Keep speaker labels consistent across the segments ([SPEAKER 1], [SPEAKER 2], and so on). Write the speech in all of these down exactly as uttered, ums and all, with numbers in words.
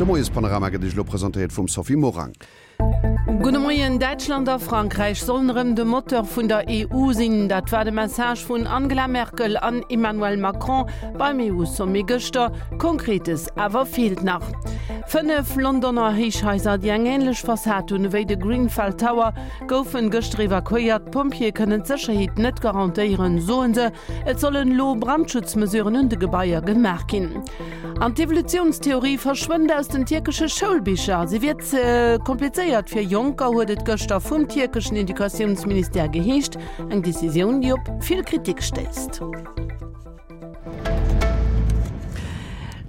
[SPEAKER 1] De Moiespanorama gëtt Iech elo presentéiert vum Sophie Morang.
[SPEAKER 2] Gudde Moien, Däitschland a Frankräich sollen erëm de Moteur vun der E U sinn. Dat war de Message vun Angela Merkel an Emmanuel Macron beim E U-Sommet gëschter. Konkretes awer feelt nach. Fënnef Londoner Héichhaiser, déi eng änlech Fassad hunn ewéi de Grenfell Tower, goufen gëschter evakuéiert. D'Pompjeeë kënnen d'Sécherheet net garantéieren, soen se. Et sollen elo Brandschutzmesuren un de Gebaier gemaach ginn. An d'Evolutiounstheorie verschwënnt aus den tierkesche Schoulbicher. Se wier ze komplizéiert fir Jonker, huet et gëschter vum tierkeschen Educatiounsministère geheescht. Eng Decisioun, déi op vill Kritik stéisst.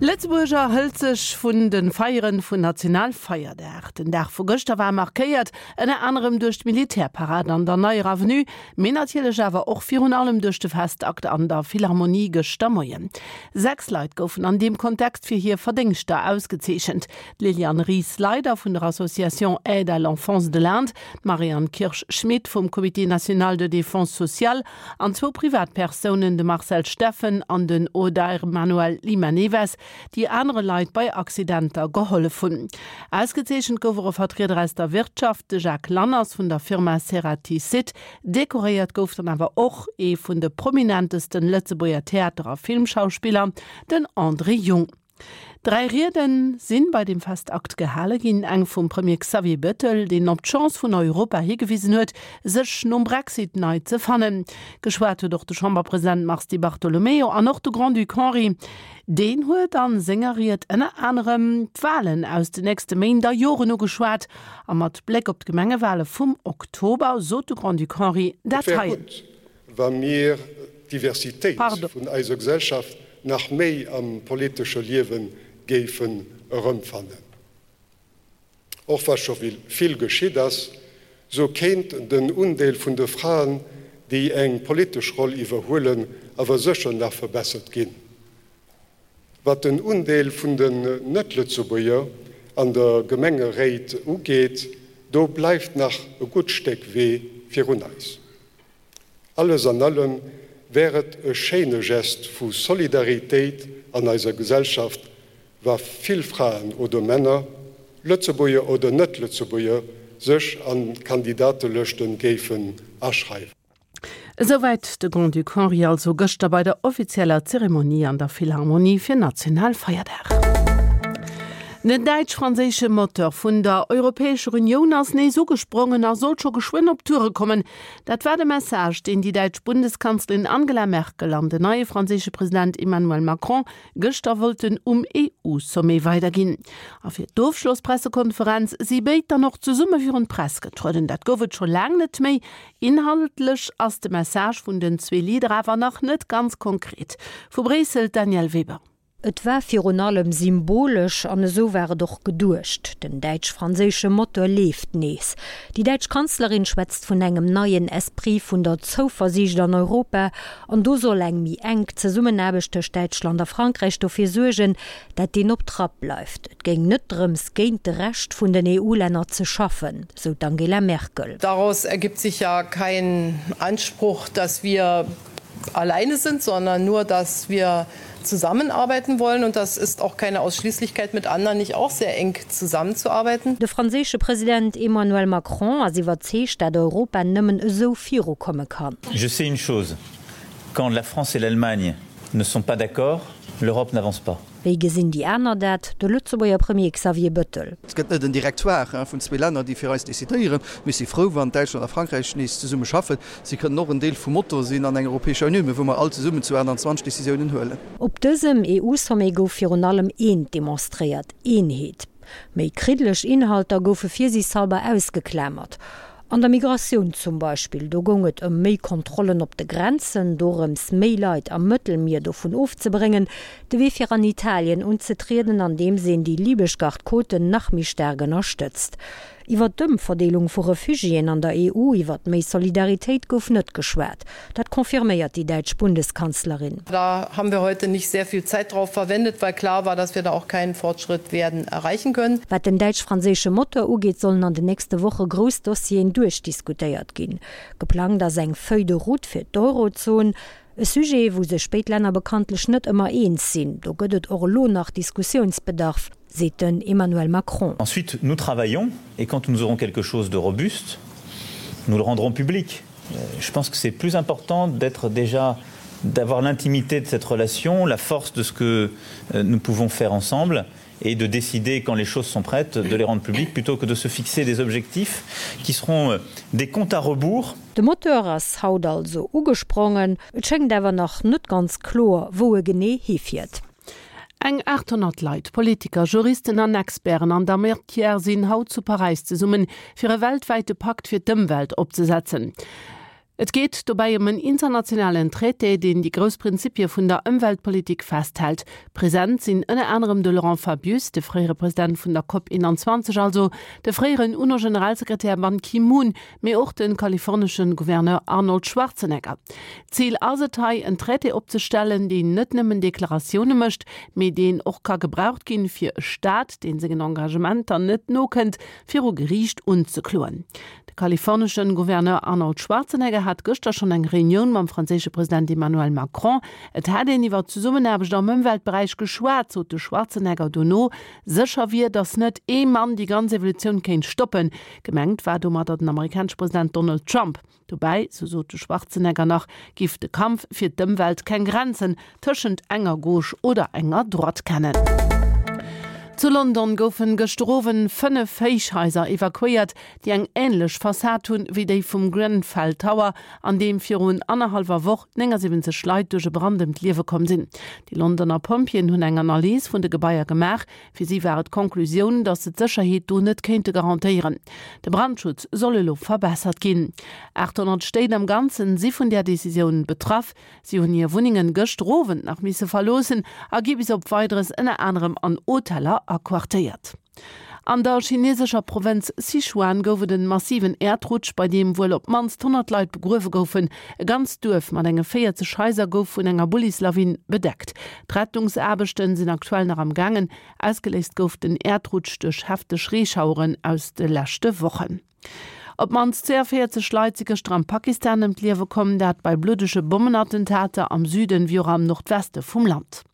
[SPEAKER 2] Lëtzebuerg erhëlt sech vun de Feieren vun Nationalfeierdag. Den Dag vu gëschter war markéiert ënner anerem duerch d'Militärparad an der Neier Avenue, mee natierlech awer och virun allem duerch de Festakt an der Philharmonie gëschter Moien. Sechs Leit goufen an deem Kontext fir hir Verdéngschter ausgezeechent, d'Liliane Ries-Leider vun der Association Aide à l'enfance de l'Inde, d'Marianne Kirsch-Schmit vum Comité national de défense sociale an zwou Privatpersounen, de Marcel Steffen an den Odair Manuel Lima Neves, déi anere Leit bei Accidenter gehollef hunn. Ausgezeechent gouf och e Vertrieder aus der Wirtschaft, de Jacques Lanners vun der Firma Ceratizit. Dekoréiert gouf dann awer och ee vun de prominentesten Lëtzebuerger Theater a Filmschauspiller, den André Jung. Dräi Riede sinn bei dem Festakt gehale ginn, eng vum Premier Xavier Bettel, deen op d'Chance vun Europa higewisen huet, sech nom Brexit nei ze fannen. Geschwat huet och de Chamberpresident Mars Di Bartolomeo an och de Grand-Duc Henri. Deen huet a senger Ried ënner anerem d'Walen aus de nächste Méint a Joren ugeschwat a mat Bléck op d'Gemengewale vum Oktober sot de Grand-Duc Henri
[SPEAKER 3] dat
[SPEAKER 2] hei.
[SPEAKER 3] Et wär gutt, wa mir d'Diversitéit vun eiser Gesellschaft nach méi am politesche Liewe géifen erëmfannen. Och wa scho vill geschitt ass, sou kéint den Undeel vun de Fraen, déi eng politesch Roll iwwerhuelen, awer sécher nach verbessert ginn. Wat den Undeel vun den Net-Lëtzebuerger an de Gemengeréit ugeet, do bleift nach e gutt Stéck Wee virun eis. Alles an allem wär et e schéine Gest vu Solidaritéit an eiser Gesellschaft, wa vill Fraen oder Männer, Lëtzebuerger oder Net-Lëtzebuerger, sech an d'Kandidatelëschte géifen aschreiwen.
[SPEAKER 2] Esouwäit de Grand-Duc Henri also gëschter bei der offizieller Zeremonie an der Philharmonie fir Nationalfeierdag. Den däitsch-franséische Moteur vun der Europäescher Unioun ass nees ugesprongen a soll scho geschwënn op Toure kommen. Dat war de Message, deen déi däitsch Bundeskanzlerin Angela Merkel an den neie franséische President Emmanuel Macron gëschter wollten um E U-Sommet weiderginn. A fir d'Ofschlosspressekonferenz si béid dann och zesumme virun d'Press getrueden. Dat gouf et scho laang net méi. Inhaltlech ass de Message vun den zwee Leader awer nach net ganz konkret. Vu Bréissel d'Danièle Weber.
[SPEAKER 4] Et war virun allem symbolesch an esou war et och geduecht. Den däitsch-franséische Motor leeft nees. Déi däitsch Kanzlerin schwätzt vun engem neien Esprit vun der Zouversiicht an Europa an do soll eng méi enk Zesummenaarbecht tëscht Däitschland a Frankräich dofir suergen, dat deen op Trapp bleift. Et géing net drëms géint de Rescht vun den E U-Länner ze schaffen, sou d'Angela Merkel.
[SPEAKER 5] Daraus ergibt sich ja kein Anspruch, dass wir alleine sind, sondern nur, dass wir zusammenarbeiten wollen und das ist auch keine Ausschließlichkeit mit anderen nicht auch sehr eng zusammenzuarbeiten.
[SPEAKER 4] De franséische President Emmanuel Macron ass iwwerzeegt, dat Europa nëmmen esou virukomme kann.
[SPEAKER 6] Je sais une chose, quand la France et l'Allemagne ne sont pas d'accord, l'Europe n'avance pas.
[SPEAKER 4] Wéi gesinn déi aner dat? De Lëtzebuerger Premier Xavier Bettel.
[SPEAKER 7] Et gëtt net en Directoire vun zwee Länner, déi fir eis decidéieren. Mir si frou, wann Däitschland a Frankräich nees zesumme schaffen. Si kënnen och en Deel vum Motor sinn an enger Europäescher Unioun, mä wou mer all zesummen zu achtanzwanzeg Decisiounen huelen.
[SPEAKER 4] Op dësem E U-Sommet gouf virun allem eent demonstréiert, Eenheet. Méi kriddeleg Inhalter goufe virsiichthalber ausgeklamert. An der Migratioun zum Beispill, do goung et ëm méi Kontrollen op de Grenzen, dorëms méi Leit am Mëttelmier dovun ofzebréngen, de Wee fir an Italien unzetrieden, andeems een déi libesch Garde-côten nach méi staark ënnerstëtzt. Iwwer d'Ëmverdeelung vu Refugiéen an der E U, iwwer méi Solidaritéit gouf net geschwat. Dat confirméiert déi däitsch Bundeskanzlerin.
[SPEAKER 5] Da haben wir heute nicht sehr viel Zeit darauf verwendet, weil klar war, dass wir da auch keinen Fortschritt werden erreichen können.
[SPEAKER 4] Wat den däitsch-franséische Motor ugeet, sollen an den nächste Woche grouss Dossieren duerchdiskutéiert ginn. Geplangt ass eng Feuille de route fir d'Eurozon. E Sujet, wou sech béid Länner bekanntlech net ëmmer eens sinn, do gëtt et och elo nach Diskussiounsbedarf, seet den Emmanuel Macron.
[SPEAKER 6] Ensuite, nous travaillons et quand nous aurons quelque chose de robuste, nous le rendrons public. Je pense que c'est plus important d'être déjà d'avoir l'intimité de cette relation, la force de ce que nous pouvons faire ensemble et de décider quand les choses sont prêtes de les rendre publiques plutôt que de se fixer des objectifs qui seront des comptes à rebours.
[SPEAKER 4] De Moteur ass haut also ugesprongen, et schéngt awer nach net ganz kloer, wou e genee hifiert.
[SPEAKER 2] Eng achthonnert Leit, Politiker, Juristen an Experten an der Matière sinn haut zu Paräis zesummen, fir e weltwäite Pakt fir d'Ëmwelt opzesetzen. Et geet dobäi ëm en internationalen Traité, deen déi grouss Prinzipie vun der Ëmweltpolitik festhält. Present sinn ënner anerem de Laurent Fabius, de fréiere President vun der Cop einundzwanzeg also, de fréieren UNO-Generalsekretär Ban Ki-moon, mee och de kalifornesche Gouverneur Arnold Schwarzenegger. Zil ass et hei, en Traité opzestellen, deen net nëmmen Deklaratioune mécht, mee deen och ka gebraucht ginn, fir e Staat, deen sengen Engagementer net nokënnt, viru Geriicht unzekloen. De kalifornesche Gouverneur Arnold Schwarzenegger hat gëschter schonn eng Reunioun mam franséische President Emmanuel Macron. Et hätt een iwwer d'Zesummenaarbecht am Ëmweltberäich geschwat, sot de Schwarzenegger dono. Sécher wier, datt net ee Mann déi ganz Evolutioun kéint stoppen. Gemengt war domadder den amerikanesche President Donald Trump. Dobäi, sou sot de Schwarzenegger nach, giff de Kampf fir d'Ëmwelt keng Grenzen tëschent enger Gauche oder enger Droite kennen. Zu London goufen gëschter Owend fënnef Héichhaiser evakuéiert, déi eng änlech Fassad hunn wéi déi vum Grenfell Tower, an deem virun annerhallwer Woch néngasiwwenzeg Leit duerch e Brand ëm d'Liewe komm sinn. Déi Londoner Pompjeeën hunn eng Analys vun de Gebaier gemaach. Fir si war et d'Konklusioun, datt se d'Sécherheet do net kéinte garantéieren. De Brandschutz soll elo verbessert ginn. achthonnert Stéit am Ganzen si vun där Decisioun betraff. Si hunn hir Wunnengen gëschter Owend nach misse verloossen a gi bis op Weideres ënner anerem an Hoteller aquartéiert. An der chinesescher Provënz Sichuan gouf et en massiven Äerdrutsch, bei deem wuel op d'mannst honnert Leit begruewe goufen. E ganzt Duerf mat enge véierzeg Haiser gouf vun enger Bullislawin bedeckt. D'Rettungsaarbechten sinn aktuell nach am gaangen. Ausgeléist gouf den Äerdrutsch duerch hefteg Reeschaueren aus de leschte Wochen. Op d'mannst zwouavéierzeg Leit si gëschter am Pakistan ëm d'Liewe komm, dat bei bluddege Bommenattentater am Süden wéi och am Nordweste vum Land.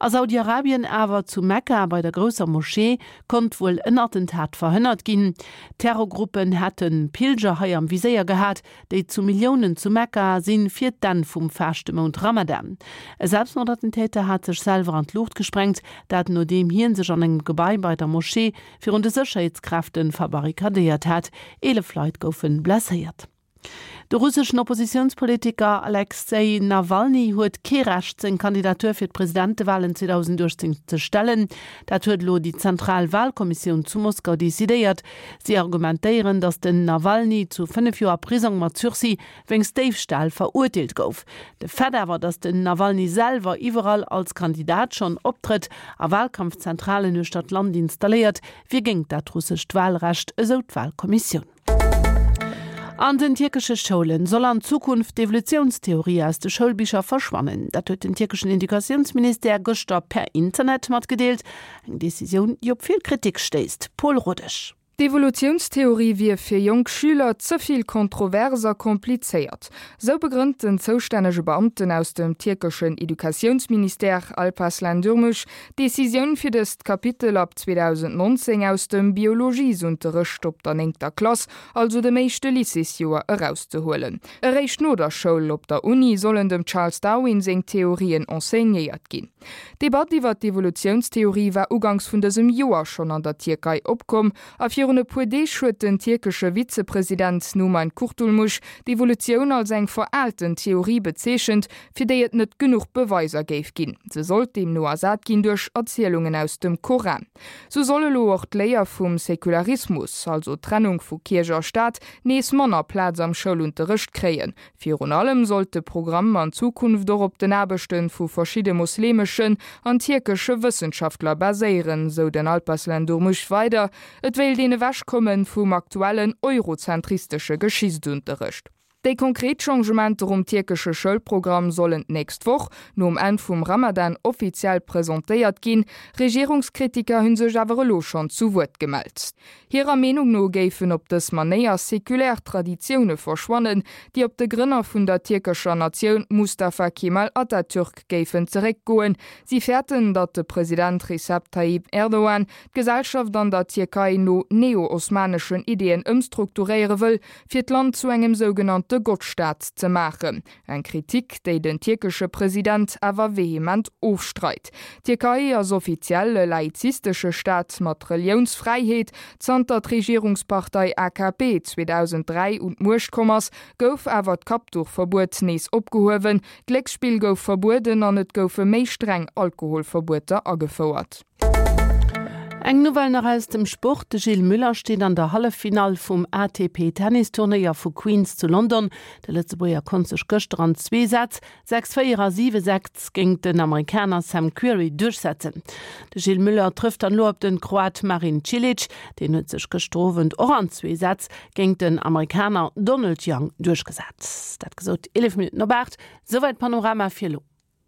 [SPEAKER 2] A Saudi-Arabien awer, zu Mekka bei der grousser Moschee, konnt wuel en Attentat verhënnert ginn. Terrorgruppen hätte Pilger hei am Viséier gehat, déi zu Milliounen zu Mekka sinn, fir d'Enn vum Faaschtemount Ramadan. E Selbstmordattentäter hat sech selwer an d'Luucht gesprengt, dat nodeem hien sech an engem Gebai bei der Moschee virun de Sécherheetskräfte verbarrikadéiert hat. Eelef Leit goufe blesséiert. De russeschen Oppositiounspolitiker Alexej Nawalny huet kee Recht, seng Kandidatur fir d'Presidentewalen zweedausenduechtzéng ze stellen. Dat huet elo déi zentral Walkommissioun zu Moskau decidéiert. Si argumentéieren, datt den Nawalny zu fënnef Joer Prisong mat Sursis wéinst Déifstal verurteelt gouf. De Fait awer, datt den Nawalny selwer iwwerall als Kandidat schonn optrëtt a Walkampfzentralen uechter d'Land installéiert, wier géingt dat russescht Walrecht, esou d'Walkommissioun. An den tierkesche Schoulen soll an Zukunft d'Evolutiounstheorie aus de Schoulbicher verschwannen. Dat huet den tierkeschen Educatiounsministère gëschter per Internet matgedeelt. Eng Decisioun, déi op vill Kritik stéisst. Paul Rodesch.
[SPEAKER 8] D'Evolutiounstheorie wier fir jonk Schüler ze vill kontrovers a komplizéiert. Sou begrënnt den zoustännege Beamten aus dem tierkeschen Educatiounsministère, Alparslan Durmuş, d'Decisioun fir dëst Kapitel ab zweedausendnonzéng aus dem Biologiesunterrecht op der néngter Klass, also dem éischte Lycéesjoer, erauszehuelen. Eréischt no der Schoul op der Uni sollen dem Charles Darwin seng Theorien enseignéiert ginn. D'Debatt iwwer d'Evolutiounstheorie war uganks vun dësem Joer schonn an der Tierkei opkomm a virun e puer Deeg huet den tierkesche Vizepresident Numan Kurtulmuş d'Evolutioun als eng veraalten Theorie bezeechent, fir déi et net genuch Beweiser géif ginn. Se sollt deemno ersat ginn duerch Erzielungen aus dem Koran. Sou soll elo och d'Léier vum Säkularismus, also d'Trennung vu Kierch a Staat, nees manner Plaz am Schoulunterrecht kréien. Virun allem sollt de Programm an Zukunft och op den Aarbechte vu verschidde mosleemeschen an tierkesche Wëssenschaftler baséieren, sou den Alparslan Durmuş weider. Et wéilt een ewechkomme vum aktuellen eurozentristesche Geschichtsunterrecht. Déi konkret Changementer um tierkesche Schoulprogramm sollen d'nächst Woch, nom Enn vum Ramadan, offiziell presentéiert ginn. Regierungskritiker hu sech awer elo schonn zu Wuert gemellt. Hirer Meenung no géifen op dës Manéier sekulär Traditioune verschwannen, déi op de Grënner vun der tierkescher Natioun Mustafa Kemal Atatürk géifen zeréckgoen. Si fäerten, datt de President Recep Tayyip Erdogan d'Gesellschaft an der Tierkei no neo-osmaneschen Ideeën ëmstrukturéiere wëll, fir d'Land zu engem sougenannte Gottstaat ze maachen. Eng Kritik, déi den tierkesche President awer vehement ofstreit. D'Tierkei ass offiziell e laizistesche Staat mat Reliounsfräiheet. Zanter d'Regierungspartei A K P zweedausenddräi un d'Muecht komm ass, gouf awer d'Kappduchverbuet nees opgehuewen, Glécksspill gouf verbueden an et goufe méi streng Alkoholverbueter agefouert.
[SPEAKER 2] Eng Nouvelle nach aus dem Sport, De Gilles Müller steet an der Halleffinall vum A T P Tennisturnéier vu Queens zu London. De Lëtzebuerger konnt sech gëschter an zwee Sätz, sechs véier a siwe sechs, géint den Amerikaner Sam Querrey duerchsetzen. De Gilles Müller trëfft dann elo op den Kroat Marin Cilic. Deen huet sech gëschter Owend och an zwee Sätz géint den Amerikaner Donald Young duerchgesat. Dat gesot, eelef Minutten op aacht. Souwäit Panorama fir elo.